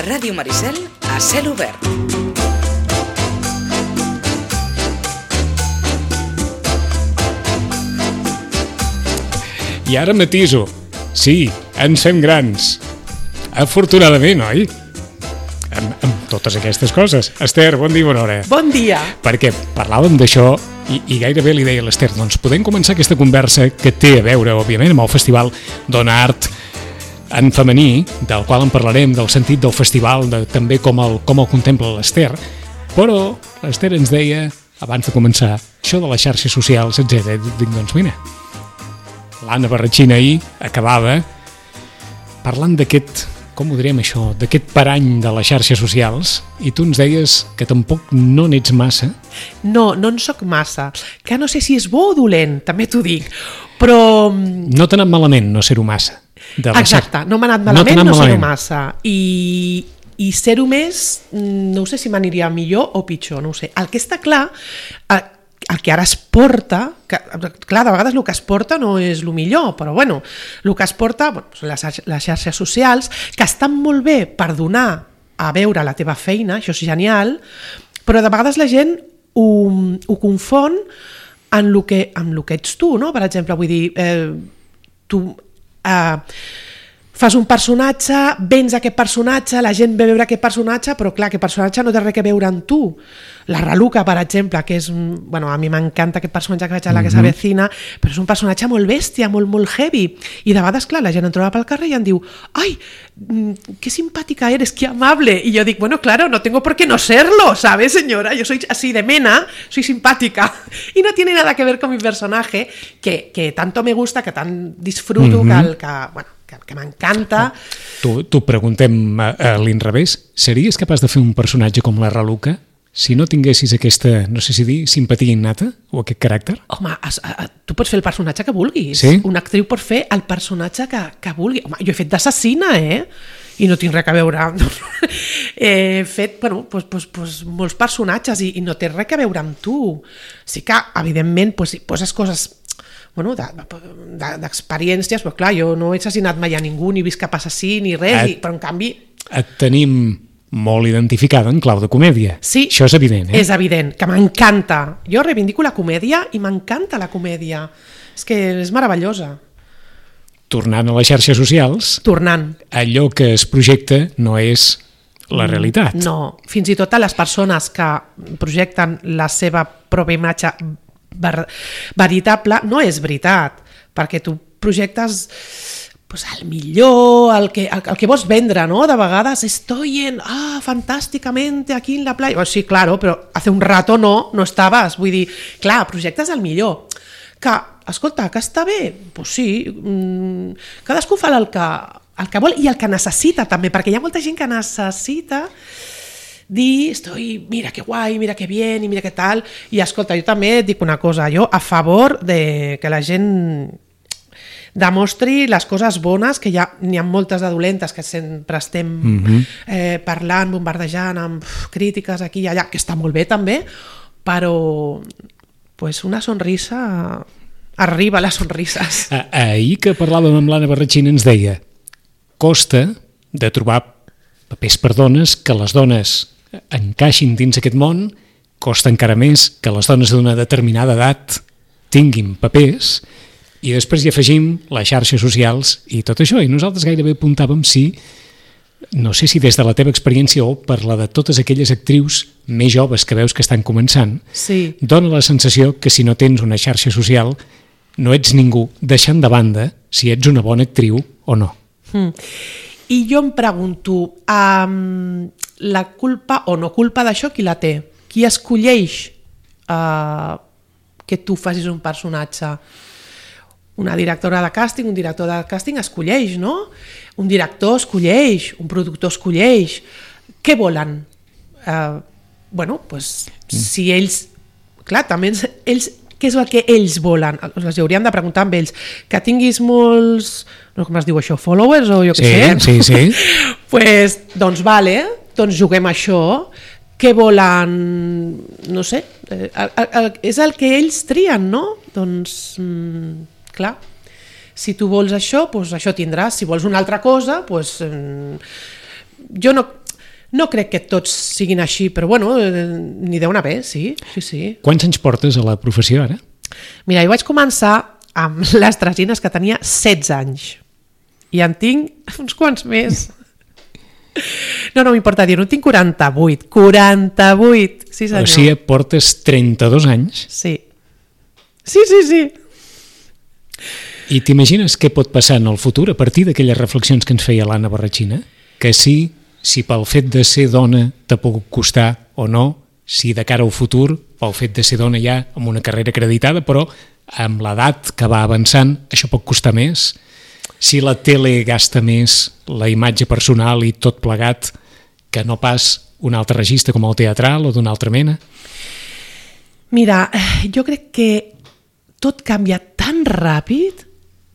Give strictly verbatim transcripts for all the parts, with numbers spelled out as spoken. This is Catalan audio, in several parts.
Ràdio Maricel a cel obert. I ara matiso. Sí, ens fem grans. Afortunadament, oi? Amb, amb totes aquestes coses. Ester, bon dia, bona hora. Bon dia. Perquè parlàvem d'això i, i gairebé li deia a l'Ester, doncs podem començar aquesta conversa que té a veure, òbviament, amb el festival Dona Art en femení, del qual en parlarem, del sentit del festival, de, també com el, com el contempla l'Ester, però l'Ester ens deia, abans de començar, això de les xarxes socials, etcètera. Dic, doncs mira, l'Anna Barratxina ahir acabava parlant d'aquest, com ho direm això, d'aquest parany de les xarxes socials, i tu ens deies que tampoc no n'ets massa. No, no en soc massa, que no sé si és bo o dolent, també t'ho dic, però... No t'ha anat malament no ser-ho massa. Exacte, no m'ha anat malament no, no ser-ho massa, i, i ser-ho més, no sé si m'aniria millor o pitjor, no ho sé. El que està clar, el que ara es porta, que, clar, de vegades el que es porta no és el millor, però bueno, el que es porta, bueno, són les, les xarxes socials, que estan molt bé per donar a veure la teva feina, això és genial, però de vegades la gent ho, ho confon en el que, en el que ets tu, no? Per exemple, vull dir, eh, tu... Uh, fas un personatge, vens aquest personatge, la gent ve a veure aquest personatge, però clar, aquest personatge no té res a veure amb tu. La Raluca, per exemple, que és, bueno, a mi m'encanta aquest personatge que vaig a la que s'avecina, però és un personatge molt bèstia, molt, molt heavy, i de vegades, clar, la gent em troba pel carrer i em diu, ai, qué simpática eres, qué amable, y yo digo, bueno, claro, no tengo por qué no serlo, ¿sabes, señora? Yo soy así de mena, soy simpática, y no tiene nada que ver con mi personaje, que, que tanto me gusta, que tan disfruto, mm-hmm. que, el, que, bueno, que, que m'encanta. T'ho preguntem a, a l'inrevés. Series capaç de fer un personatge com la Raluca si no tinguessis aquesta, no sé si dir, simpatia innata o aquest caràcter? Home, es, a, tu pots fer el personatge que vulguis. Sí? Una actriu pot fer el personatge que, que vulgui. Home, jo he fet d'assassina, eh? I no tinc res a veure. He fet, bueno, pues, pues, pues, molts personatges i, i no té res a veure amb tu. Sí que, evidentment, pues, poses coses... bueno, d'experiències, però clar, jo no he assassinat mai a ningú, ni vist cap assassí, ni res, et, i, però en canvi... Et tenim molt identificada en clau de comèdia. Sí, això és evident, eh? És evident, que m'encanta. Jo reivindico la comèdia i m'encanta la comèdia. És que és meravellosa. Tornant a les xarxes socials... Tornant. Allò que es projecta no és la realitat. No, fins i tot a les persones que projecten la seva pròpia imatge Ver, veritable, no és veritat, perquè tu projectes pues, el millor, el que, el, el que vols vendre, ¿no? De vegades estoy en, ah, fantàsticamente aquí en la playa, bueno, sí, claro, però hace un rato no, no estaves, vull dir, clar, projectes el millor, que, escolta, que està bé, pues sí, mmm, cadascú fa el que, el que vol i el que necessita també, perquè hi ha molta gent que necessita dir, estoy, mira que guai, mira que bien, i mira que tal, i escolta, jo també et dic una cosa, jo a favor de que la gent demostri les coses bones, que ja n'hi ha moltes de dolentes que sempre estem mm-hmm. eh, parlant, bombardejant amb uf, crítiques aquí i allà, que està molt bé també, però pues una sonrisa, arriba les sonrises. Ahir que parlàvem amb l'Anna Barratxina ens deia, costa de trobar papers per dones, que les dones encaixin dins aquest món, costa encara més que les dones d'una determinada edat tinguin papers, i després hi afegim les xarxes socials i tot això, i nosaltres gairebé apuntàvem si, no sé si des de la teva experiència o per la de totes aquelles actrius més joves que veus que estan començant, sí. Dona la sensació que si no tens una xarxa social no ets ningú, deixant de banda si ets una bona actriu o no. Mm. I jo em pregunto, um, la culpa o no culpa d'això, qui la té? Qui escolleix uh, que tu facis un personatge? Una directora de càsting, un director de càsting escolleix, no? Un director escolleix, un productor escolleix. Què volen? Uh, bueno, pues, mm. si ells... Clar, també ells... Què és el que ells volen? Els hauríem de preguntar amb ells. Que tinguis molts, no com es diu això, followers o jo què sí, sé? Sí, sí, pues, doncs vale, doncs juguem això. Què volen? No sé. Eh, el, el, és el que ells trien, no? Doncs, mm, clar, si tu vols això, doncs això tindràs. Si vols una altra cosa, doncs... Mm, jo no... No crec que tots siguin així, però bueno, n'hi deu haver, sí, sí, sí. Quants anys portes a la professió ara? Mira, jo vaig començar amb les tresines que tenia setze anys i en tinc uns quants més. No, no m'importa dir, no tinc quaranta-vuit, quaranta-vuit, sí senyor. O sigui, portes trenta-dos anys? Sí, sí, sí, sí. I t'imagines què pot passar en el futur a partir d'aquelles reflexions que ens feia l'Anna Barratxina? Que sí, si pel fet de ser dona t'ha pogut costar o no, si de cara al futur, pel fet de ser dona ja amb una carrera acreditada, però amb l'edat que va avançant, això pot costar més. Si la tele gasta més la imatge personal i tot plegat que no pas un altre registre com el teatral o d'una altra mena. Mira, jo crec que tot canvia tan ràpid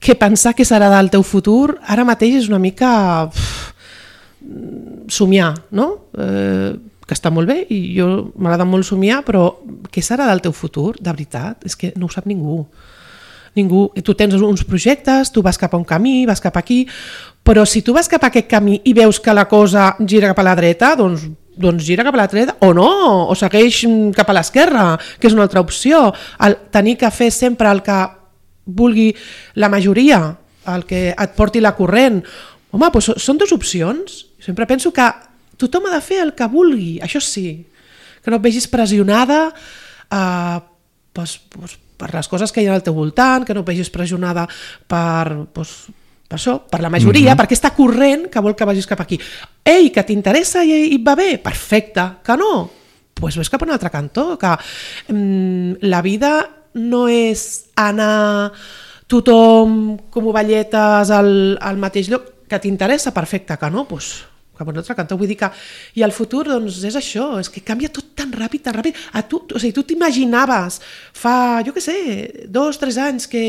que pensar que serà del teu futur ara mateix és una mica uf, somiar, no? Eh, que està molt bé i jo m'agrada molt somiar, però què serà del teu futur, de veritat? És que no ho sap ningú. Ningú. Tu tens uns projectes, tu vas cap a un camí, vas cap aquí, però si tu vas cap a aquest camí i veus que la cosa gira cap a la dreta, doncs, doncs gira cap a la dreta, o no, o segueix cap a l'esquerra, que és una altra opció. El tenir que fer sempre el que vulgui la majoria, el que et porti la corrent. Home, doncs són dues opcions. Sempre penso que tothom ha de fer el que vulgui, això sí, que no et vegis pressionada eh, doncs, doncs, per les coses que hi ha al teu voltant, que no et vegis pressionada per, doncs, per això, per la majoria, mm-hmm. per aquesta corrent que vol que vagis cap aquí. Ei, que t'interessa i, i et va bé? Perfecte. Que no? Doncs pues ves cap a un altre cantó. Que, mm, la vida no és anar tothom com ovelletes al, al mateix lloc. Que t'interessa? Perfecte. Que no? Doncs pues, cap a un altre cantó. Vull dir que... I el futur, doncs, és això. És que canvia tot tan ràpid, tan ràpid. A tu, o sigui, tu t'imaginaves fa, jo què sé, dos, tres anys que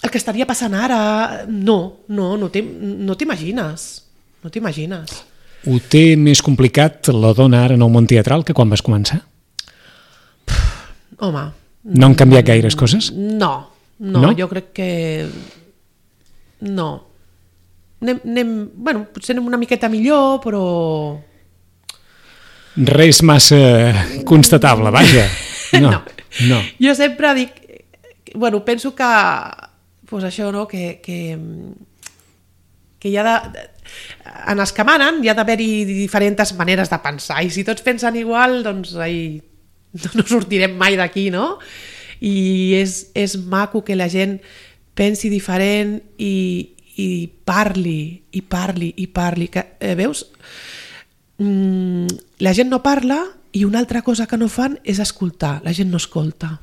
el que estaria passant ara... No, no, no t'imagines. No t'imagines. Ho té més complicat la dona ara en el món teatral que quan vas començar? Home... No han canviat gaires coses? No, no, no? Jo crec que... No. Anem, anem, bueno, potser anem una miqueta millor, però... Res massa constatable, vaja. No, no. no. Jo sempre dic... Bueno, penso que... Pues això, no? Que, que, que hi ha de... En els que manen hi ha d'haver-hi diferents maneres de pensar, i si tots pensen igual, doncs ai, no sortirem mai d'aquí, no? I és, és maco que la gent pensi diferent i, i parli, i parli, i parli. Que, eh, veus? Mm, la gent no parla i una altra cosa que no fan és escoltar. La gent no escolta.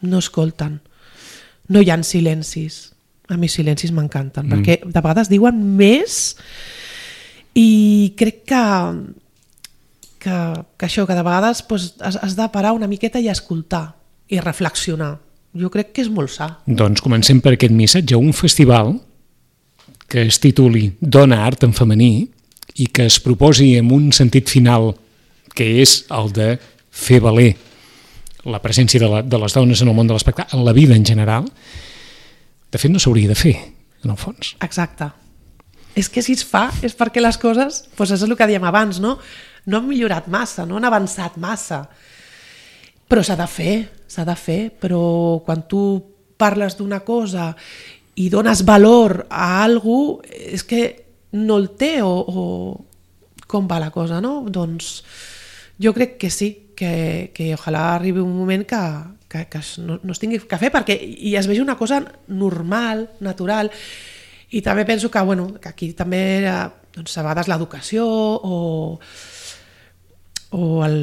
No escolten. No hi ha silencis. A mi silencis m'encanten, mm. perquè de vegades diuen més i crec que, que, que això, que de vegades pues, has, has de parar una miqueta i escoltar i reflexionar. Jo crec que és molt sa. Doncs comencem per aquest missatge. Un festival que es tituli Dona Art en femení i que es proposi amb un sentit final que és el de fer valer la presència de, la, de les dones en el món de l'espectacle, en la vida en general. De fet, no s'hauria de fer, en el fons. Exacte. És que si es fa és perquè les coses, doncs és el que dèiem abans, no? No han millorat massa, no han avançat massa. Però s'ha de fer, s'ha de fer. Però quan tu parles d'una cosa i dones valor a algú, és que no el té o, o com va la cosa, no? Doncs jo crec que sí, que, que ojalà arribi un moment que, que, que no, no es tingui que fer perquè i es vegi una cosa normal, natural, i també penso que, bueno, que aquí també doncs, a vegades l'educació o, o el,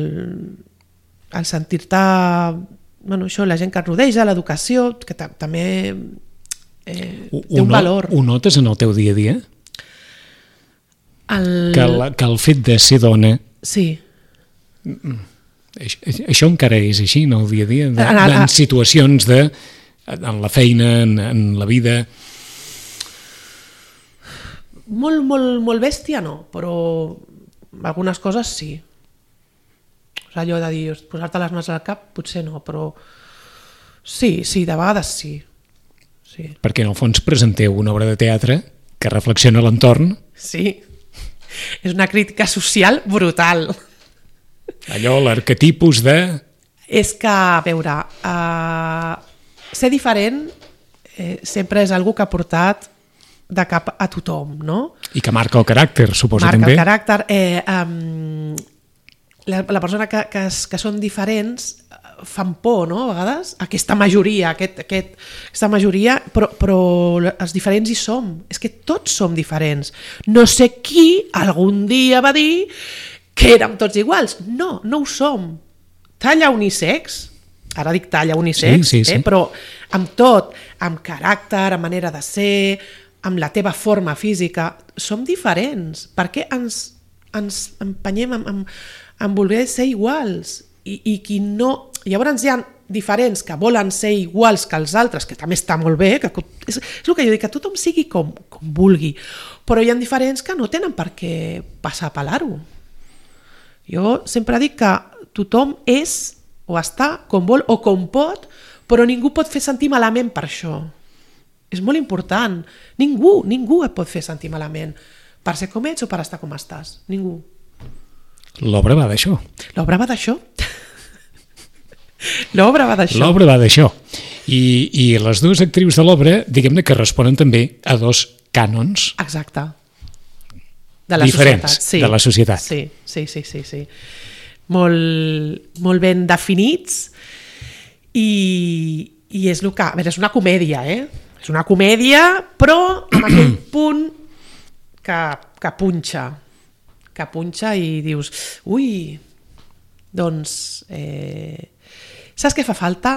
el sentir-te, bueno, això, la gent que et rodeja, l'educació, que també eh, té un valor. Ho notes en el teu dia a dia? El... Que, la, que el fet de ser dona... Sí. Això encara és així, no? El dia a dia, de, de, en situacions de... en la feina, en, en la vida... Molt, molt, molt bèstia no, però algunes coses sí. O sigui, allò de dir, posar-te les mans al cap, potser no, però sí, sí, de vegades sí. sí. Perquè en el fons presenteu una obra de teatre que reflexiona l'entorn. Sí. És una crítica social brutal. Allò, l'arquetipus de... És que, a veure, uh, ser diferent eh, sempre és algú que ha portat de cap a tothom, no? I que marca el caràcter, suposo, marca també. Marca el caràcter. Eh, um, la, la persona que, que, que són diferents fan por, no?, a vegades, aquesta majoria, aquest, aquest, aquesta majoria, però, però els diferents hi som. És que tots som diferents. No sé qui algun dia va dir que érem tots iguals. No, no ho som. Talla unisex, ara dic talla unisex, sí, sí, sí. Eh, però amb tot, amb caràcter, amb manera de ser, amb la teva forma física, som diferents. Per què ens, ens empenyem amb, amb, amb voler ser iguals? I, i qui no... Llavors hi ha diferents que volen ser iguals que els altres, que també està molt bé, que és, és el que jo dic, que tothom sigui com, com vulgui, però hi ha diferents que no tenen per què passar a pelar-ho. Jo sempre dic que tothom és o està com vol o com pot, però ningú pot fer sentir malament per això. És molt important. Ningú, ningú et pot fer sentir malament per ser com ets o per estar com estàs. Ningú. L'obra va d'això. L'obra va d'això. L'obra va d'això. L'obra va d'això. I, i les dues actrius de l'obra, diguem-ne que responen també a dos cànons. Exacte. De la diferents societat. Sí. de la societat. Sí, sí, sí, sí, sí. Molt, molt ben definits i, i és el que... A veure, és una comèdia, eh? És una comèdia, però amb aquell punt que, que punxa, que punxa i dius, ui, doncs, eh, saps què fa falta?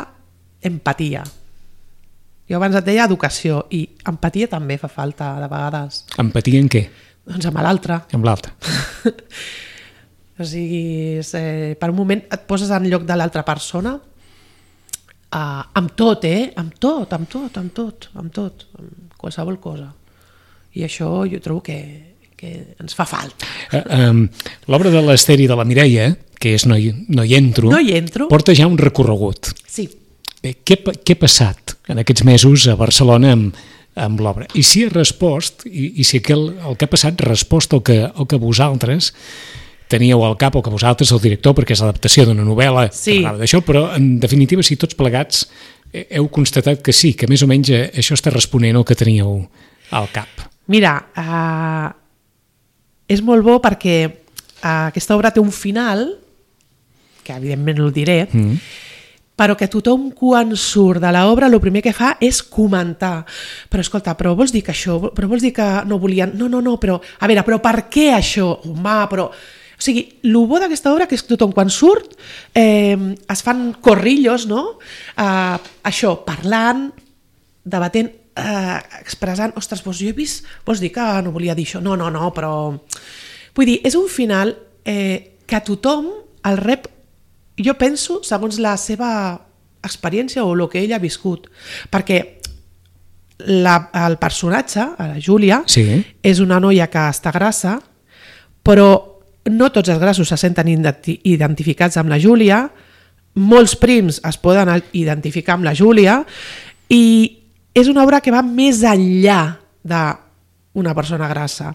Empatia. Jo abans et deia educació i empatia també fa falta de vegades. Empatia en què? Doncs amb l'altre. Amb l'altre. O sigui, eh, per un moment et poses en lloc de l'altra persona, Uh, amb tot, eh? Amb tot, amb tot, amb tot, amb tot, amb qualsevol cosa. I això jo trobo que, que ens fa falta. Uh, um, L'obra de l'Ester i de la Mireia, que és No hi, no hi entro, no hi entro, porta ja un recorregut. Sí. Eh, què, què ha passat en aquests mesos a Barcelona amb, amb l'obra? I si ha respost, i, i si el, el que ha passat ha respost el que, el que vosaltres teníeu al cap, o que vosaltres, el director, perquè és l'adaptació d'una novel·la sí. que parlava d'això, però en definitiva, si tots plegats heu constatat que sí, que més o menys això està responent al que teníeu al cap. Mira, uh, és molt bo perquè uh, aquesta obra té un final, que evidentment no el diré, mm. però que tothom quan surt de l'obra el primer que fa és comentar. Però escolta, però vols dir que això, però vols dir que no volien... No, no, no, però a veure, però per què això? Home, però... O sigui, el bo d'aquesta obra que és que tothom quan surt eh, es fan corrillos, no? Eh, això, parlant, debatent, eh, expressant, ostres, doncs jo he vist, vols dir que no volia dir això? No, no, no, però... Vull dir, és un final eh, que tothom el rep, jo penso, segons la seva experiència o el que ell ha viscut. Perquè la, el personatge, la Júlia, sí. és una noia que està grassa, però no tots els grassos se senten identificats amb la Júlia, molts prims es poden identificar amb la Júlia i és una obra que va més enllà d'una persona grassa.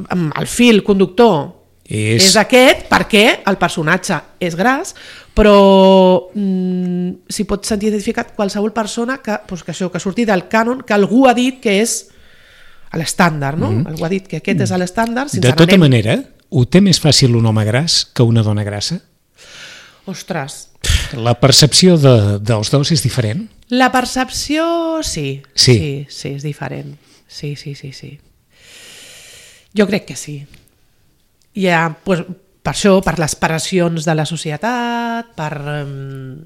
El fil conductor és, és aquest perquè el personatge és gras, però mm, s'hi pot sentir identificat qualsevol persona que, doncs, que, això, que surti del cànon, que algú ha dit que és l'estàndard, no? Mm. Algú ha dit que aquest és l'estàndard. De tota anem... manera, ho té més fàcil un home gras que una dona grassa? Ostres. La percepció de, dels dos és diferent? La percepció, sí. Sí. Sí, sí, és diferent. Sí, sí, sí, sí. Jo crec que sí. Hi ha, doncs, per això, per les pressions de la societat, per, um,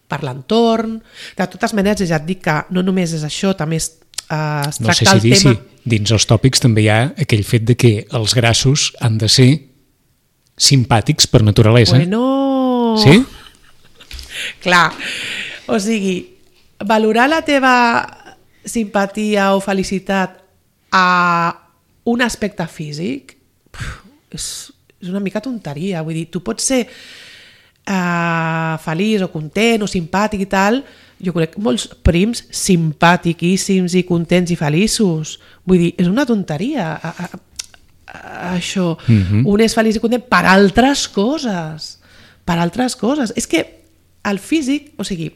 per l'entorn... De totes maneres, ja et dic que no només és això, també es, uh, es no tracta sé si el dir, tema... Sí. Dins els tòpics també hi ha aquell fet de que els grassos han de ser simpàtics per naturalesa. Bueno... Sí? Clar, o sigui, valorar la teva simpatia o felicitat a un aspecte físic és, és una mica tonteria. Vull dir, tu pots ser uh, feliç o content o simpàtic i tal, jo crec molts prims simpàtiquíssims i contents i feliços. Vull dir, és una tonteria. això. Mm-hmm. Un és feliç i content per altres coses. Per altres coses. És que el físic, o sigui,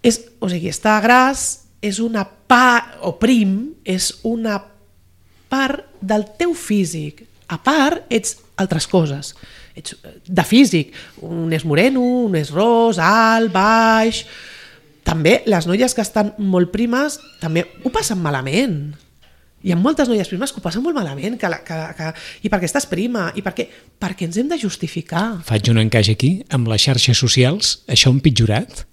és, o sigui, estar gras és una part, o prim, és una part del teu físic. A part, ets altres coses. Ets de físic. Un és moreno, un és ros, alt, baix. També les noies que estan molt primes també ho passen malament. Hi ha moltes noies primes que ho passen molt malament, que, la, que, que, i perquè estàs prima, i perquè, perquè ens hem de justificar. Faig un encaix aquí, amb les xarxes socials, això ha empitjorat?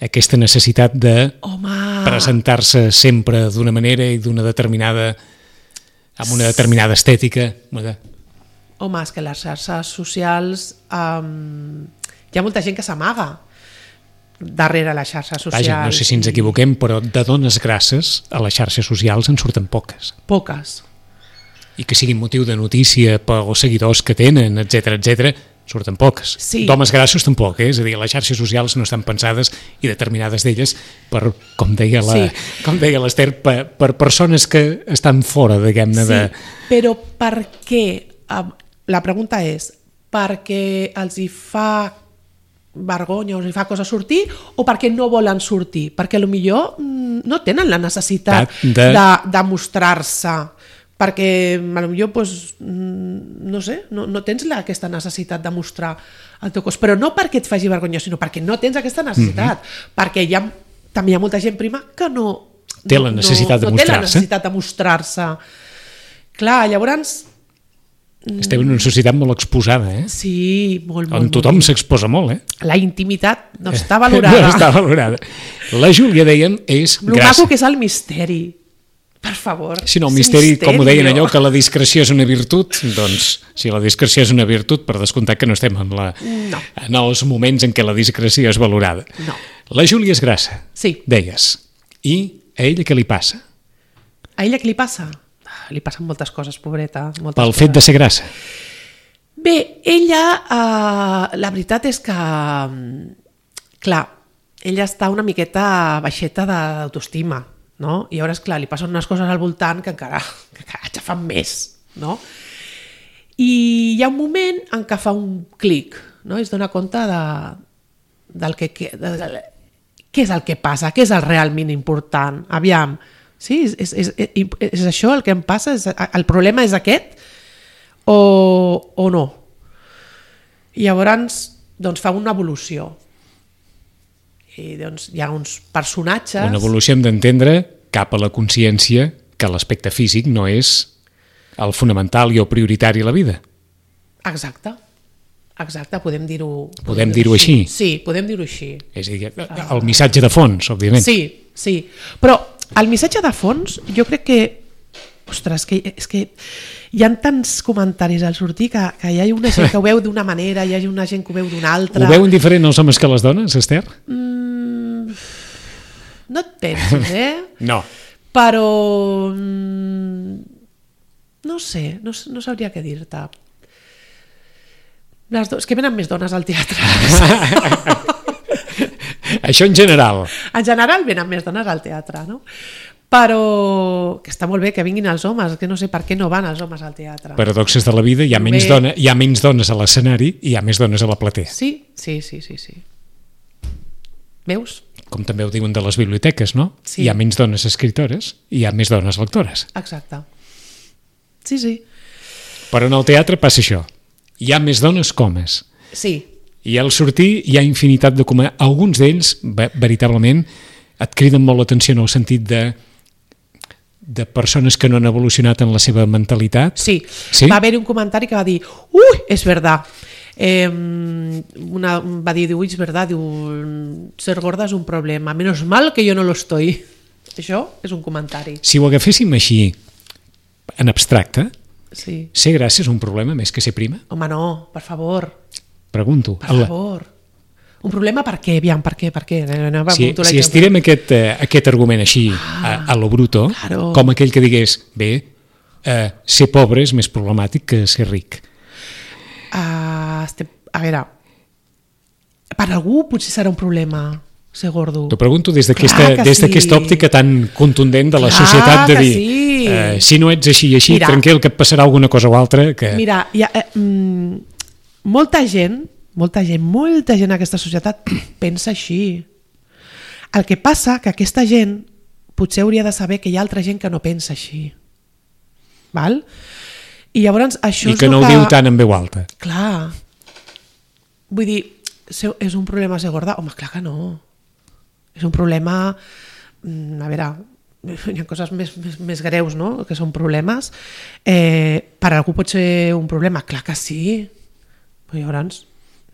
Aquesta necessitat de Home. presentar-se sempre d'una manera i d'una determinada, amb una determinada estètica. Home, és que les xarxes socials um, hi ha molta gent que s'amaga darrere les xarxes socials. Vaja, no sé si ens equivoquem, però de dones grasses a les xarxes socials en surten poques. Poques. I que siguin motiu de notícia pels seguidors que tenen, etcètera, etcètera, surten poques. Sí. D'homes grassos tampoc, eh? És a dir, les xarxes socials no estan pensades, i determinades d'elles, per, com deia la, sí. com deia l'Ester, per, per persones que estan fora, diguem-ne, sí, de... però per què? La pregunta és, perquè els hi fa vergonya o els hi fa cosa sortir, o perquè no volen sortir? Perquè potser no tenen la necessitat de, de... de mostrar-se, perquè potser pues, no sé, no, no tens la, aquesta necessitat de mostrar el teu cos, però no perquè et faci vergonya, sinó perquè no tens aquesta necessitat, mm-hmm. perquè hi ha, també hi ha molta gent prima que no té la necessitat, no, de, no mostrar té la necessitat de mostrar-se. Clar, llavors estem en una societat molt exposada, eh? Sí, molt, molt. On tothom s'exposa molt, eh? La intimitat no està valorada. No està valorada. La Júlia, deien, és lo grassa. Lo maco que és el misteri. Per favor. Si no, el misteri, misteri, com ho deien allò, que la discreció és una virtut, doncs, si la discreció és una virtut, per descomptat que no estem en, la, no. en els moments en què la discreció és valorada. No. La Júlia és grassa, sí. deies. I a ella què li passa? A ella què li passa? Li passen moltes coses, pobreta. Moltes Pel coses. fet de ser grassa? Bé, ella, eh, la veritat és que, clar, ella està una miqueta baixeta d'autoestima, no? I llavors, clar, li passen unes coses al voltant que encara, que encara ja fan més, no? I hi ha un moment en què fa un clic, no? I es dona compte de, del que... De, de, de, què és el que passa? Què és el realment important? Aviam, sí, és, és, és, és això el que em passa? És, el problema és aquest? O, o no? I llavors doncs, fa una evolució. I doncs, hi ha uns personatges... Una evolució hem d'entendre cap a la consciència que l'aspecte físic no és el fonamental i el prioritari a la vida. Exacte. Exacte, podem dir-ho... Podem, podem dir-ho així. així? Sí, podem dir-ho així. És a dir, el missatge de fons, òbviament. Sí, sí. Però el missatge de fons, jo crec que... Ostres, que, és que hi ha tants comentaris al sortir que, que hi ha una gent que ho veu d'una manera, hi ha una gent que ho veu d'una altra... Ho veuen diferent els homes que les dones, Ester? Mm, no et pensis, eh? No. Però... Mm, no sé, no, no sabria què dir-te. Les do... És que venen més dones al teatre. Això en general. En general venen més dones al teatre, no? Però que està molt bé que vinguin els homes, que no sé per què no van els homes al teatre. Paradoxes de la vida, hi ha, menys, dona, hi ha menys dones a l'escenari i hi ha més dones a la platea. Sí, sí, sí, sí, sí. Veus? Com també ho diuen de les biblioteques, no? Sí. Hi ha menys dones escritores i hi ha més dones lectores. Exacte. Sí, sí. Però en el teatre passa això. Hi ha més dones que homes. Sí. I al sortir hi ha infinitat de comèdies. Alguns d'ells, veritablement, et criden molt l'atenció en el sentit de de persones que no han evolucionat en la seva mentalitat. Sí, sí? Va haver un comentari que va dir ui, és verdad. Eh, una, va dir, diu, és verdad, diu, ser gorda és un problema, menos mal que jo no lo estoy. Això és un comentari. Si ho agaféssim així, en abstracte, sí. Ser grassa és un problema més que ser prima? Home, no, per favor. Pregunto. Per favor. Un problema per què? Aviam, per què? Per què? No, va, si si estirem aquest, uh, aquest argument així ah, a, a lo bruto, claro. Com aquell que digués, bé, uh, ser pobre és més problemàtic que ser ric. Uh, este, a veure, per algú potser serà un problema, ser gordo. T'ho pregunto des d'aquesta des d'aquesta sí. òptica tan contundent de la Clar societat de dir sí. eh, si no ets així i així, Mira, tranquil, que et passarà alguna cosa o altra. Que... Mira, ha, eh, mm, molta gent, molta gent, molta gent en aquesta societat pensa així. El que passa que aquesta gent potser hauria de saber que hi ha altra gent que no pensa així. Val? I llavors això I és que no que... ho diu tant en veu alta. Clar. Vull dir, és un problema ser gorda? Home, clar que no. És un problema... A veure, hi ha coses més, més, més greus, no?, que són problemes. Eh, per algú pot ser un problema? Clar que sí. Però llavors,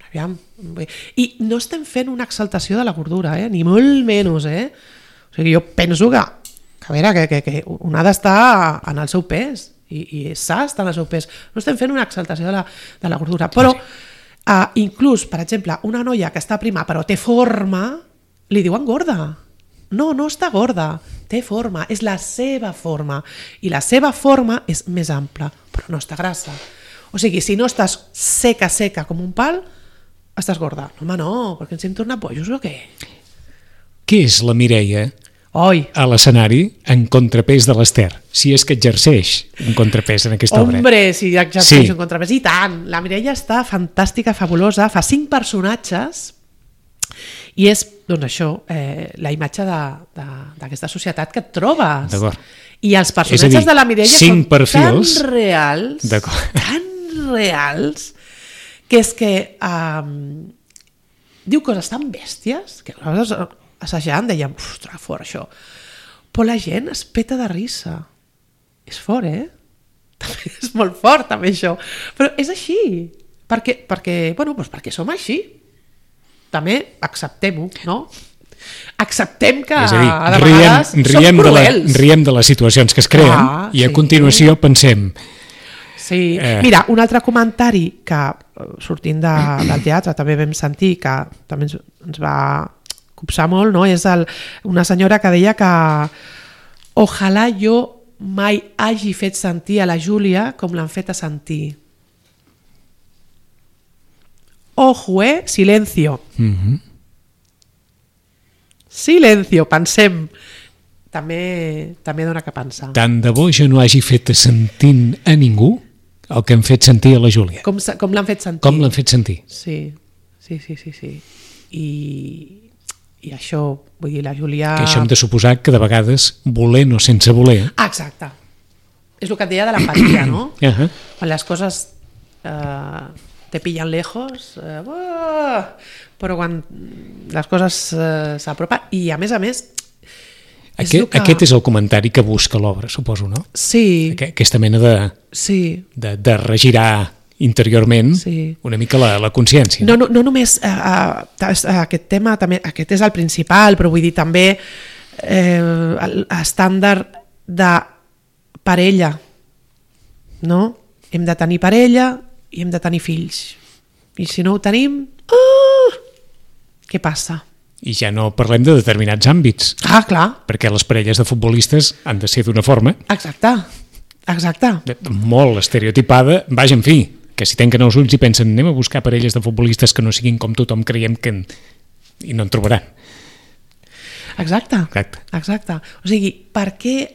aviam... I no estem fent una exaltació de la gordura, eh? Ni molt menys, eh? O sigui, jo penso que, que, a veure, que, que, que un ha d'estar en el seu pes i, i s'ha d'estar en el seu pes. No estem fent una exaltació de la, de la gordura, però uh, inclús, per exemple, una noia que està prima però té forma, li diuen gorda. No, no està gorda, té forma, és la seva forma i la seva forma és més ampla, però no està grassa. O sigui, si no estàs seca, seca com un pal, estàs gorda. Home, no, perquè ens hem tornat bojos o què? Què és la Mireia Oi. a l'escenari en contrapès de l'Ester? Si és que exerceix un contrapès en aquesta obra. Hombre, si exerceix Sí. un contrapès. I tant, la Mireia està fantàstica, fabulosa, fa cinc personatges i és, doncs això, eh, la imatge de- de- d'aquesta societat que et trobes. D'acord. I els És a personatges dir, de la Mireia cinc són perfils. tan reals, D'acord. tan reals, que és que um, diu coses tan bèsties que nosaltres assajant dèiem, ostres, fort això. Però la gent es peta de risa. És fort, eh? També és molt fort, també, això. Però és així. Perquè, perquè, bueno, doncs perquè som així. També acceptem-ho, no? Acceptem que És a dir, a de riem, vegades som riem, de la, cruels. riem de les situacions que es creen Clar, i a sí. continuació pensem Sí. Eh. Mira, un altre comentari que eh, sortint de, del teatre també vam sentir, que també ens, ens va copsar molt, no? És el, una senyora que deia que ojalà jo mai hagi fet sentir a la Júlia com l'han fet a sentir. Ojo, eh? Silencio. mm-hmm. Silencio, pensem. També, també dona que pensar. tant de bo jo no hagi fet sentint a ningú el que hem fet sentir a la Júlia. Com, se- com l'han fet sentir? Com l'han fet sentir? Sí, sí, sí, sí, sí. I, i això, vull dir, la Júlia... Que això hem de suposar que de vegades, volent o sense voler... Ah, exacte. És el que et deia de l'empatia, no? Uh-huh. Quan les coses eh, te pillan lejos, eh, uah, però quan les coses eh, s'apropen... I a més a més... és Aquest, el que... aquest és el comentari que busca l'obra, suposo, no? Sí, Aqu- Aquesta mena de, sí. de, de regirar interiorment Sí. una mica la, la consciència. No, no, no només eh, eh, aquest tema, també, aquest és el principal, però vull dir també eh, l'estàndard de parella, no? Hem de tenir parella i hem de tenir fills. I si no ho tenim, uh, què passa? I ja no parlem de determinats àmbits, Ah, clar, perquè les parelles de futbolistes han de ser d'una forma exacte, exacte. de- molt estereotipada. Vaja, en fi, que si tanquen els ulls i pensen anem a buscar parelles de futbolistes que no siguin com tothom creiem que en... i no en trobaran. Exacte, Exacte. exacte. O sigui, per què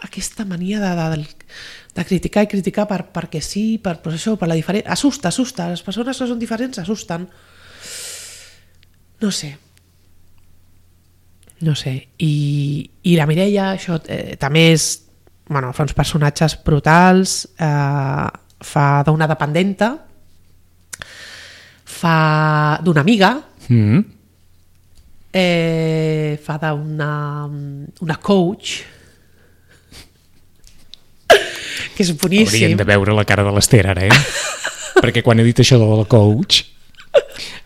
aquesta mania de, de, de criticar i criticar per, perquè sí, per, per això, per la diferència... Assusta, assusta. Les persones que són diferents assusten. No sé. No sé. I, i la Mireia, això eh, també és... Bueno, fa uns personatges brutals, eh, fa d'una dependenta, fa d'una amiga, Mm. eh, fa d'una una coach que és boníssim. Haurien de veure la cara de l'Ester ara, eh? Perquè quan he dit això de la coach,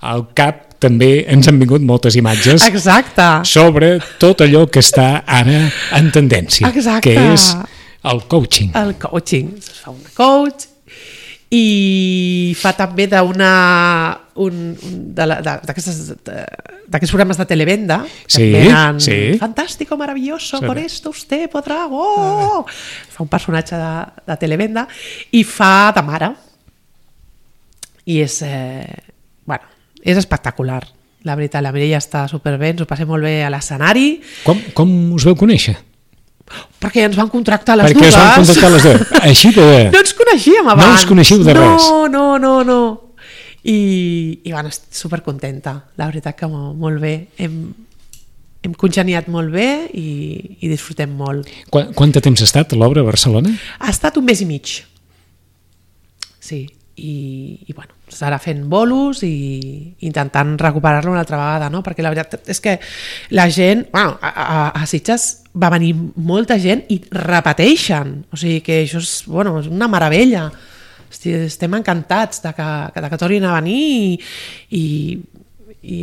al cap també ens han vingut moltes imatges Exacte. sobre tot allò que està ara en tendència, Exacte. que és el coaching. El coaching. Fa una coach i fa també d'una un, un, de la- de- d'aquestes de- d'aquests programes de televenda que Sí, venen, sí. fantástico, maravilloso, Sí. por esto usted podrá, oh! Fa un personatge de, de televenda i fa de mare i és eh, bueno, és espectacular, La veritat, la Mireia està superbé, ens ho passem molt bé a l'escenari. Com, com us veu conèixer? Perquè ens van contractar les Perquè dues. Perquè us van contractar les dues. Així de... No ens coneixíem abans. No ens coneixiu de no, res. No, no, no, no. I, i bueno, estic supercontenta. La veritat que molt bé. Hem, hem congeniat molt bé i, i disfrutem molt. Quant, quant de temps ha estat l'obra a Barcelona? Ha estat un mes i mig. Sí. I, i bueno, s'ara fent bolos i intentant recuperar-lo una altra vegada, no? Perquè la veritat és que la gent, bueno, a, a, a Sitges va venir molta gent i repeteixen, o sigui que això és, bueno, és una meravella. Estem encantats de que, de que tornin a venir i, i, i,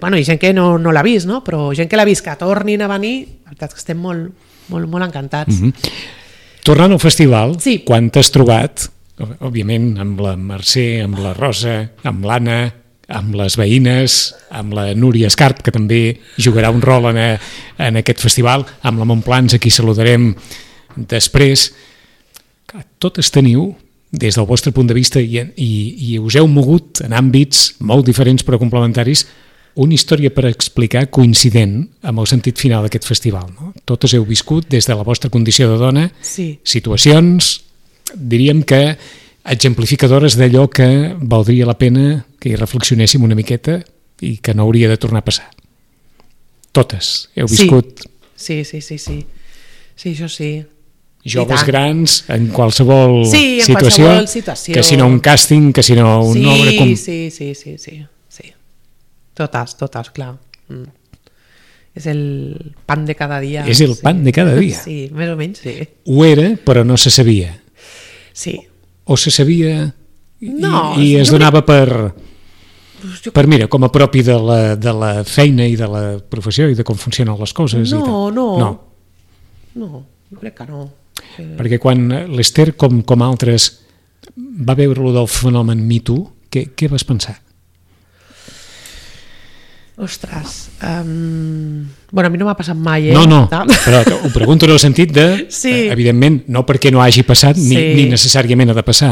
bueno, i gent que no, no l'ha vist, no? Però gent que l'ha vist que tornin a venir, la veritat és que estem molt, molt, molt encantats. Mm-hmm. Tornant al festival, sí. Quan t'has trobat, òbviament amb la Mercè, amb la Rosa, amb l'Anna, amb les veïnes, amb la Núria Escarp, que també jugarà un rol en, a, en aquest festival, amb la Montplans, a qui saludarem després. Totes teniu, des del vostre punt de vista, i, i, i us heu mogut en àmbits molt diferents però complementaris, una història per explicar coincident amb el sentit final d'aquest festival. No? Totes heu viscut des de la vostra condició de dona, sí. Situacions, diríem que exemplificadores d'allò que valdria la pena que hi reflexionéssim una miqueta i que no hauria de tornar a passar. Totes heu viscut... Sí, sí, sí, sí. Sí, això sí. Joves grans, en qualsevol sí, en situació, qualsevol situació. Que si no un càsting, que si no una sí, obra... Com... Sí, sí, sí, sí, sí. Totes, totes, clar. Mm. És el pan de cada dia. És el sí. pan de cada dia. Sí, més o menys, sí. Ho era, però no se sabia. Sí. O se sabia i, no, i es donava crec... per, jo... per, mira, com a propi de la, de la feina i de la professió i de com funcionen les coses. No, i tal. no. No. No, jo crec que no. Que... Perquè quan l'Ester, com, com altres, va veure-lo del fenomen Me Too, què, què vas pensar? Ostres, um... bueno, a mi no m'ha passat mai, eh? No, no, però ho pregunto en el sentit de, sí. evidentment, no perquè no hagi passat, ni, sí. ni necessàriament ha de passar,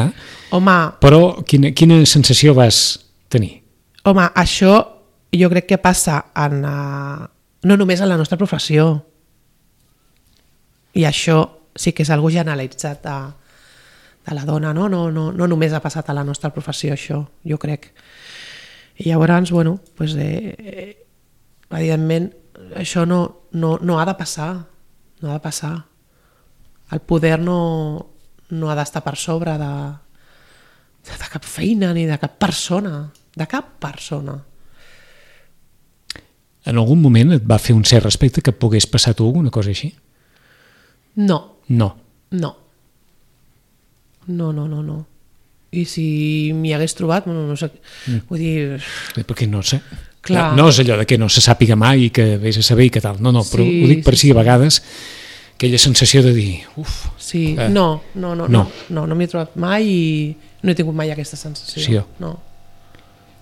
home, però quina, quina sensació vas tenir? Home, això jo crec que passa en, uh, no només en la nostra professió, i això sí que és algo generalitzat de, de la dona, no? No, no, no només ha passat a la nostra professió, això, jo crec. I llavors, bueno, pues, eh, eh, evidentment, això no, no, no ha de passar, no ha de passar. El poder no, no ha d'estar per sobre de, de cap feina ni de cap persona, de cap persona. En algun moment et va fer un cert respecte que pogués passar a tu alguna cosa així? No. No. No. No, no, no, no. I si m'hi hagués trobat, no, no sé, mm. vull dir... Perquè no sé, clar. No és allò de que no se sàpiga mai i que vés a saber i que tal, no, no, però sí, ho dic per si sí, a vegades aquella sensació de dir, uf... Sí, eh, no, no, no, no, no, no m'hi he trobat mai i no he tingut mai aquesta sensació. Sí, no.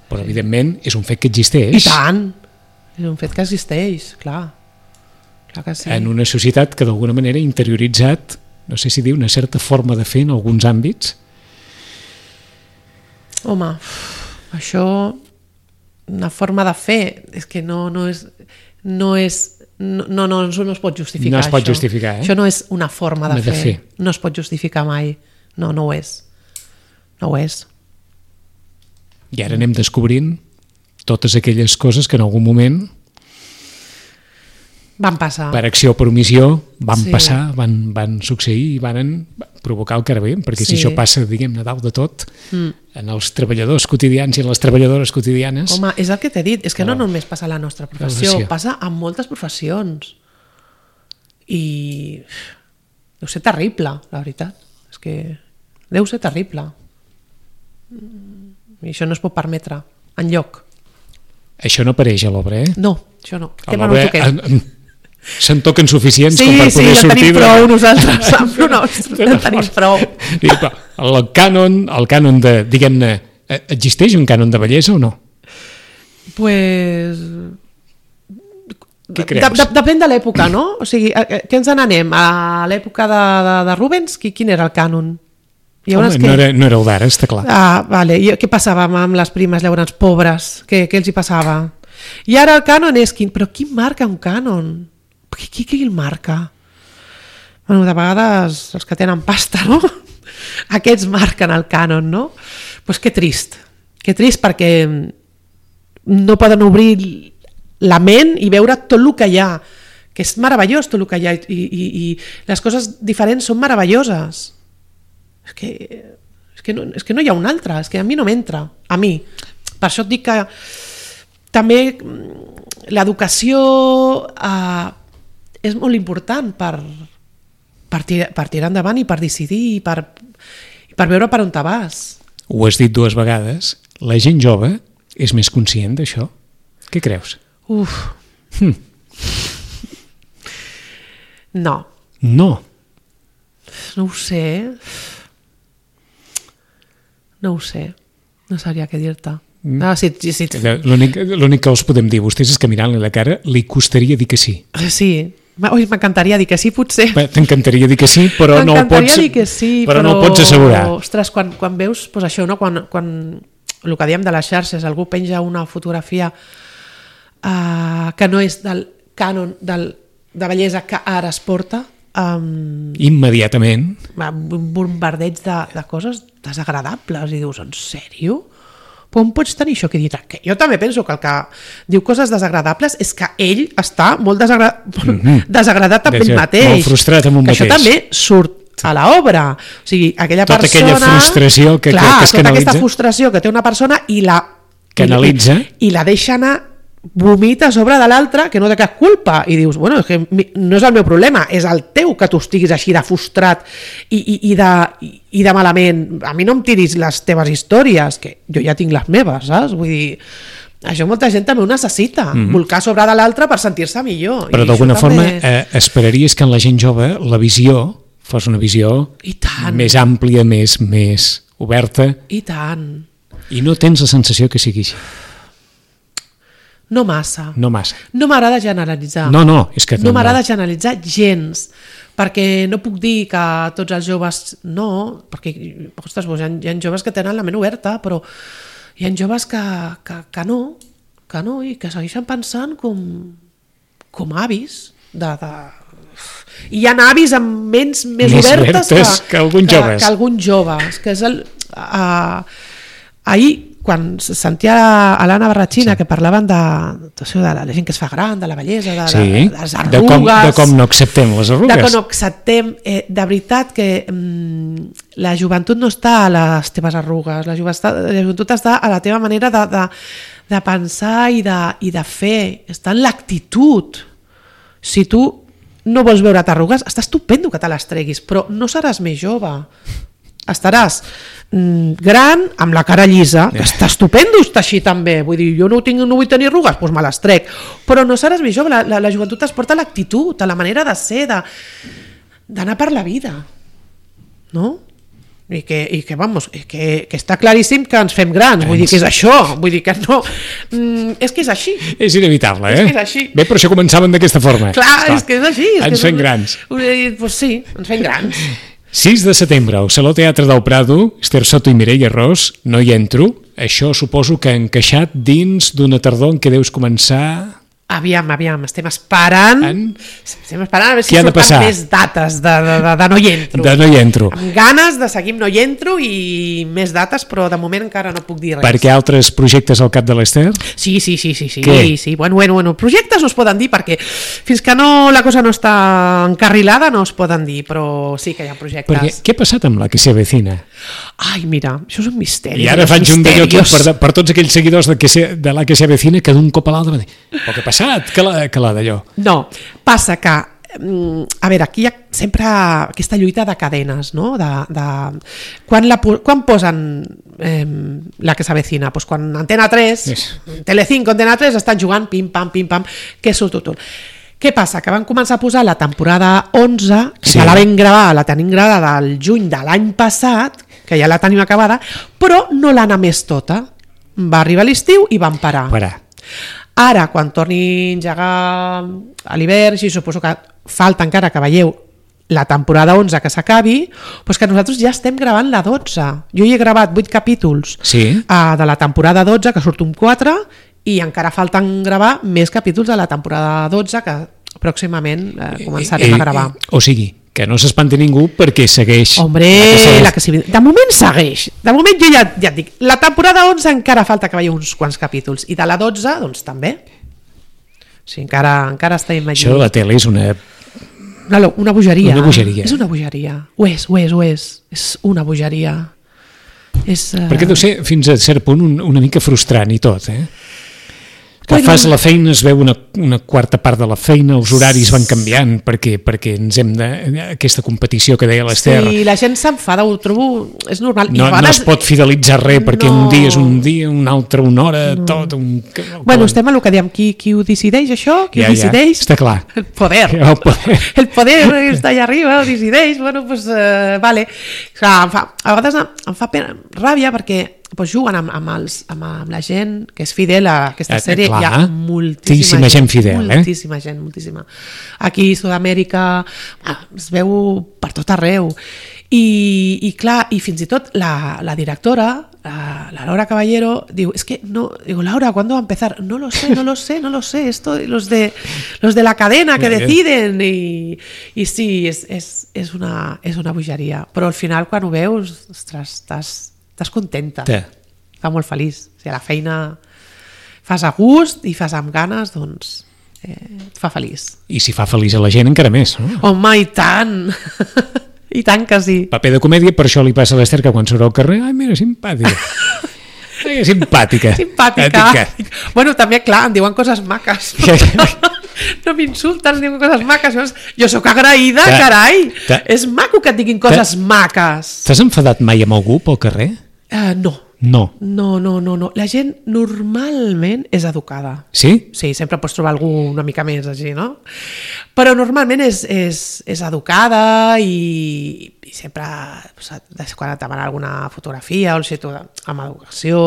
Però sí. Evidentment és un fet que existeix. I tant, és un fet que existeix, clar, clar que sí. En una societat que d'alguna manera ha interioritzat, no sé si dir, una certa forma de fer en alguns àmbits. Home, això, una forma de fer, és que no, no és, no és, no, no, no, no es pot justificar. No es pot això. justificar, eh? Això no és una forma de, de fer. fer, no es pot justificar mai, no, no ho és, no ho és. I ara anem descobrint totes aquelles coses que en algun moment van passar. Per acció o per omissió van sí. passar, van, van succeir i van provocar el que ara veiem, perquè sí. Si això passa, diguem-ne, dalt de tot, mm. en els treballadors quotidians i en les treballadores quotidianes... Home, és el que t'he dit, és que no, no només passa a la nostra professió, professió, passa a moltes professions. I deu ser terrible, la veritat. És que deu ser terrible. I això no es pot permetre, enlloc. Això no apareix a l'obra, eh? No, això no. A l'obra se'n toquen suficients sí, com per sí, poder sortir... Sí, sí, tenim prou de... nosaltres, amb lo nostre, en tenim prou. El cànon, el cànon de, diguem-ne, existeix un cànon de bellesa o no? Pues... Què creus? De, de, depèn de l'època, no? O sigui, què ens n'anem? A l'època de, de, de Rubens, qui, quin era el cànon? Home, que... no, era, no era el d'ara, està clar. Ah, vale. I què passava amb les primes llavors pobres? Què, què els hi passava? I ara el cànon és quin? Però qui marca un cànon? Qui, qui, qui el marca? Bueno, de vegades els que tenen pasta, no? Aquests marquen el cànon, no? Doncs pues que trist, que trist perquè no poden obrir la ment i veure tot el que hi ha, que és meravellós tot el que hi ha, i, i, i les coses diferents són meravelloses. És que, és, que no, és que no hi ha un altre, és que a mi no m'entra, a mi. Per això et dic que també l'educació eh, és molt important per, per, tirar, per tirar endavant i per decidir i per, i per veure per on te vas. Ho has dit dues vegades, la gent jove és més conscient d'això? Què creus? Uf. Hm. No. No. No ho sé. No ho sé. No sabria què dir-te. Mm. Ah, sí, sí. L'únic, l'únic que els podem dir a vostès és que mirant-li la cara li costaria dir que sí. Sí. Ui, m'encantaria dir que sí, potser. T'encantaria dir que sí, però no ho pots, dir que sí, però però... no ho pots assegurar. Ostres, quan, quan veus pues això, no? quan, quan el que diem de les xarxes, algú penja una fotografia uh, que no és del cànon del, de bellesa que ara es porta, um, immediatament un bombardeig de, de coses desagradables i dius, en sèrio? Com pots tenir això que dir? Que jo també penso que el que diu coses desagradables és que ell està molt desagra... mm-hmm. desagradat amb ell mateix. Molt frustrat amb un que mateix. Això també surt a l'obra. O sigui, aquella tota persona... aquella frustració que, clar, que, que es tota canalitza. aquesta frustració que té una persona i la... Canalitza. I, i la deixa anar, vomita a sobre de l'altre que no té cap culpa i dius, bueno, és que no és el meu problema, és el teu que tu estiguis així de frustrat i, i, i, de, i, i de malament. A mi no em tiris les teves històries, que jo ja tinc les meves, saps? Vull dir, això molta gent també ho necessita, mm-hmm. volcar a sobre de l'altre per sentir-se millor. Però d'alguna forma també... eh, esperaries que en la gent jove la visió fos una visió més àmplia, més, més oberta. I tant. I no tens la sensació que sigui així. No massa. No massa. No m'agrada generalitzar. No, no, és que... No, no m'agrada no. generalitzar gens, perquè no puc dir que tots els joves no, perquè, ostres, hi ha, hi ha joves que tenen la ment oberta, però hi ha joves que, que, que no, que no, i que segueixen pensant com, com avis de... de... I hi ha avis amb ments més, més obertes, obertes que, que alguns joves. Que, que alguns joves, que és el... Uh, ahir, quan sentia a l'Anna Barratxina sí. que parlaven de, de, de la gent que es fa gran, de la bellesa, de, sí. de, de les arrugues... De com, de com no acceptem les arrugues. De com no acceptem... Eh, de veritat que mm, la joventut no està a les teves arrugues, la joventut, la joventut està a la teva manera de, de, de pensar i de, i de fer, està en l'actitud. Si tu no vols veure t'arrugues, està estupendo que te les treguis, però no seràs més jove. Estaràs mm, gran, amb la cara llisa, que està estupendo estar així també, vull dir, jo no, tinc, no vull tenir arrugues, doncs me les trec, però no seràs més jove, la, la, la joventut es porta a l'actitud, a la manera de ser, d'anar per la vida, no? I que, i que vamos, que, que està claríssim que ens fem grans, vull dir que és això, vull dir que no, mm, és que és així. És inevitable, eh? És que és així. Bé, però això començaven d'aquesta forma. Clar, Clar. és que és així. És ens que fem grans. Doncs sí, ens fem grans. sis de setembre, al Saló Teatre del Prado, Esther Soto i Mireia Ros, No hi entro. Això suposo que ha encaixat dins d'una tardor en què deus començar... Aviam, aviam, estem esperant en... estem esperant a veure si surten més dates de, de, de, de No hi entro. De No hi entro. Amb ganes de seguir No hi entro i més dates, però de moment encara no puc dir res. Perquè altres projectes al cap de l'Esther? Sí, sí, sí, sí, sí, Què? sí. Bueno, bueno, bueno, projectes no es poden dir perquè fins que no, la cosa no està encarrilada no es poden dir, però sí que hi ha projectes. Perquè què ha passat amb La que se avecina? Ai, mira, això és un misteri. I ara faig un d'allò per, per tots aquells seguidors de, que se, de La que se avecina que d'un cop a l'altre va dir, però què ha passat? Que la, que la d'allò? No, passa que a veure, aquí hi ha sempre aquesta lluita de cadenes, no? De, de... Quan, la, quan posen eh, La que s'avecina? Pues quan Antena tres, yes. Telecinco, Antena tres estan jugant pim-pam, pim-pam, que surt tot. Què passa? Que van començar a posar la temporada onze, que sí. ja la vam gravar, la tenim gravada al juny de l'any passat, que ja la tenim acabada, però no l'han emès tota. Va arribar l'estiu i van parar. Parar. Ara, quan torni a engegar a l'hivern, sí, suposo que falta encara que veieu la temporada onze que s'acabi, doncs que nosaltres ja estem gravant la dotze. Jo hi he gravat vuit capítols sí. uh, de la temporada dotze, que surt un quatre, i encara falten gravar més capítols de la temporada dotze que pròximament eh, començarem eh, a gravar. Eh, o sigui, que no s'espanti ningú perquè segueix. Hombre, la que segueix. La que sí, de moment segueix. De moment jo ja, ja et dic, la temporada onze encara falta que vegi uns quants capítols i de la dotze, doncs també. O sigui, encara, encara estem imaginant. Això de la tele és una... Una, una bogeria. Una bogeria. És una bogeria. Ho és, ho és, ho és. És una bogeria. És, uh... Perquè deu ser fins a cert punt un, una mica frustrant i tot, eh? Que bueno, fas la feina, es veu una, una quarta part de la feina, els horaris van canviant perquè, perquè ens hem de... aquesta competició que deia l'Ester. Sí, la gent s'enfada, ho trobo... És normal. No, no es pot fidelitzar res perquè no. Un dia és un dia, un altre una hora, no. Tot... Un... Bueno, estem a el que diem, qui, qui ho decideix això? Qui ja, ho decideix? Ja, està clar. El poder. El poder. El poder està allà arriba, ho decideix. Bueno, doncs, uh, vale. Clar, em fa, a vegades em fa pena, ràbia perquè pues juguen amb, amb, els, amb, amb la gent que és fidel a aquesta sèrie. Clar, hi ha moltíssima gent, gent fidel, eh? Moltíssima gent, moltíssima. Aquí a Sud-amèrica es veu per tot arreu. I, i clar, i fins i tot la, la directora, la, la Laura Caballero, diu, es que no, digo, Laura, ¿cuándo va a empezar? No lo sé, no lo sé, no lo sé, esto, los de, los de la cadena que deciden, i, i sí, és, és, és, una, és una bogeria, però al final quan ho veus, ostres, estàs estàs contenta, sí. Està molt feliç. O sigui, la feina fas a gust i fas amb ganes, doncs eh, et fa feliç. I si fa feliç a la gent encara més, no? Home, i tant! I tant que sí. Paper de comèdia, per això li passa a l'Ester que quan surt al carrer, ai, mira, simpàtica. Ai, simpàtica. Simpàtica. Bueno, també, clar, em diuen coses maques. No m'insulten, em diuen coses maques. Jo sóc agraïda, ta, carai. Ta, és maco que et diguin coses ta, maques. T'has enfadat mai amb algú pel carrer? Uh, no. No. No, no, no, no. La gent normalment és educada. Sí? Sí, sempre pots trobar algú una mica més així, no? Però normalment és, és, és educada i, i sempre, quan et demana alguna fotografia o si tu amb educació,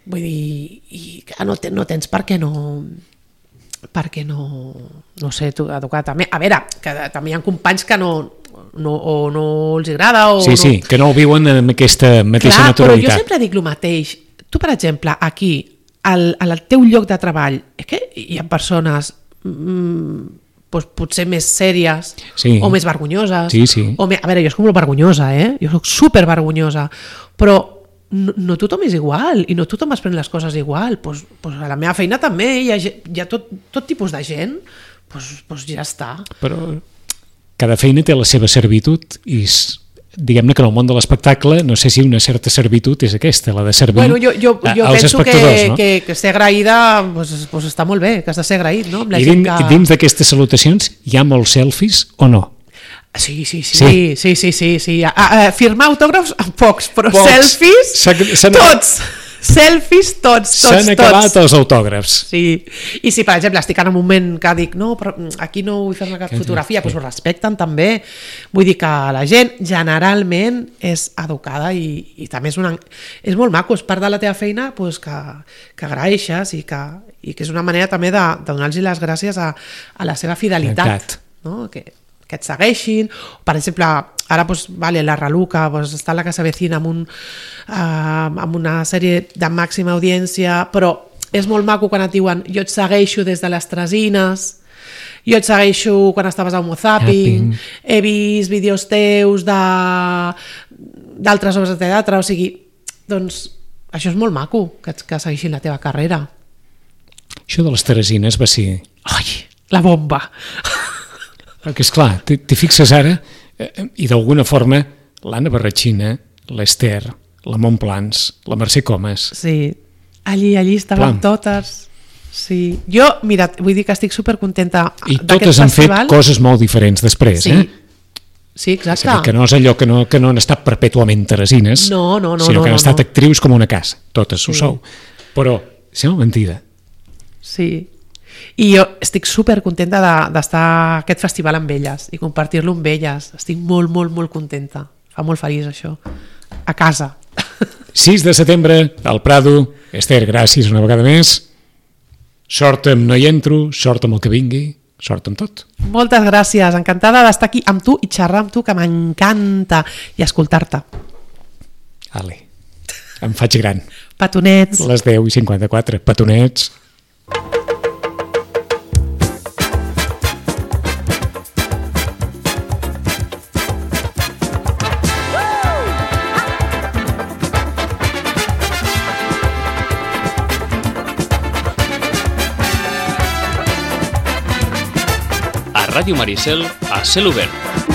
vull dir, i no, no tens per què no... perquè no, no sé, tu, educar també. A veure, que també hi ha companys que no, no, o no els agrada o sí, no... sí, que no ho viuen amb aquesta mateixa clar, naturalitat. Però jo sempre dic el mateix. Tu, per exemple, aquí, al, al teu lloc de treball, és que hi ha persones mmm, doncs, potser més sèries sí. O més vergonyoses. Sí, sí. O me... A veure, jo soc molt vergonyosa, eh? Jo soc super vergonyosa, però No, no tothom és igual i no tothom es pren les coses igual, pues, pues a la meva feina també hi ha, hi ha tot, tot tipus de gent, pues, pues ja està. Però cada feina té la seva servitud i diguem-ne que en el món de l'espectacle no sé si una certa servitud és aquesta, la de servir bueno, jo, jo, jo als penso espectadors, que, no? que, que ser agraïda pues, pues està molt bé, que has de ser agraït, no? Amb la I dins, que... dins d'aquestes salutacions hi ha molts selfies o no? Sí, sí, sí, sí, sí, sí, sí, sí. A, a, firmar autògrafs amb pocs, però pocs. Selfies, s'han, tots, selfies tots, tots, s'han acabat tots. Els autògrafs. Sí, i si per exemple estic en un moment que dic no, però aquí no vull fer-me cap fotografia, doncs ho respecten també. Vull dir que la gent generalment és educada i, i també és, una, és molt maco, és part de la teva feina pues, que, que agraeixes i que, i que és una manera també de, de donar-los les gràcies a, a la seva fidelitat, no? Que que et segueixin, per exemple ara pues, vale, la Raluca pues, està a la Casa Vecina amb, un, uh, amb una sèrie de màxima audiència, però és molt maco quan et diuen jo et segueixo des de les Tresines, jo et segueixo quan estaves a Homo Zapping, he vist vídeos teus de d'altres obres de teatre, o sigui, doncs això és molt maco, que, que segueixin la teva carrera. Això de les Teresines va ser... Ai, la bomba! Perquè, esclar, t'hi fixes ara eh, i d'alguna forma l'Anna Barratxina, l'Ester, la Montplans, la Mercè Comas... Sí, allí, allí estaven Plan. totes. Sí. Jo, mira, vull dir que estic supercontenta I totes han festival. fet coses molt diferents després, sí. eh? Sí, exacte. Que no és allò que no, que no han estat perpètuament teresines, no, no, no, sinó no, que han no, estat no. actrius com una casa. Totes sí. ho sou. Però sembla mentida. Sí. I jo estic supercontenta d'estar a aquest festival amb elles i compartir-lo amb elles. Estic molt, molt, molt contenta. Fa molt feliç això. A casa. sis de setembre, al Prado. Ester, gràcies una vegada més. Sort amb No hi entro, sort amb el que vingui, sort amb tot. Moltes gràcies, encantada d'estar aquí amb tu i xerrar amb tu, que m'encanta, i escoltar-te. Ale, em faig gran. Petonets. Les deu i cinquanta-quatre. Petonets. Ràdio Maricel a cel obert.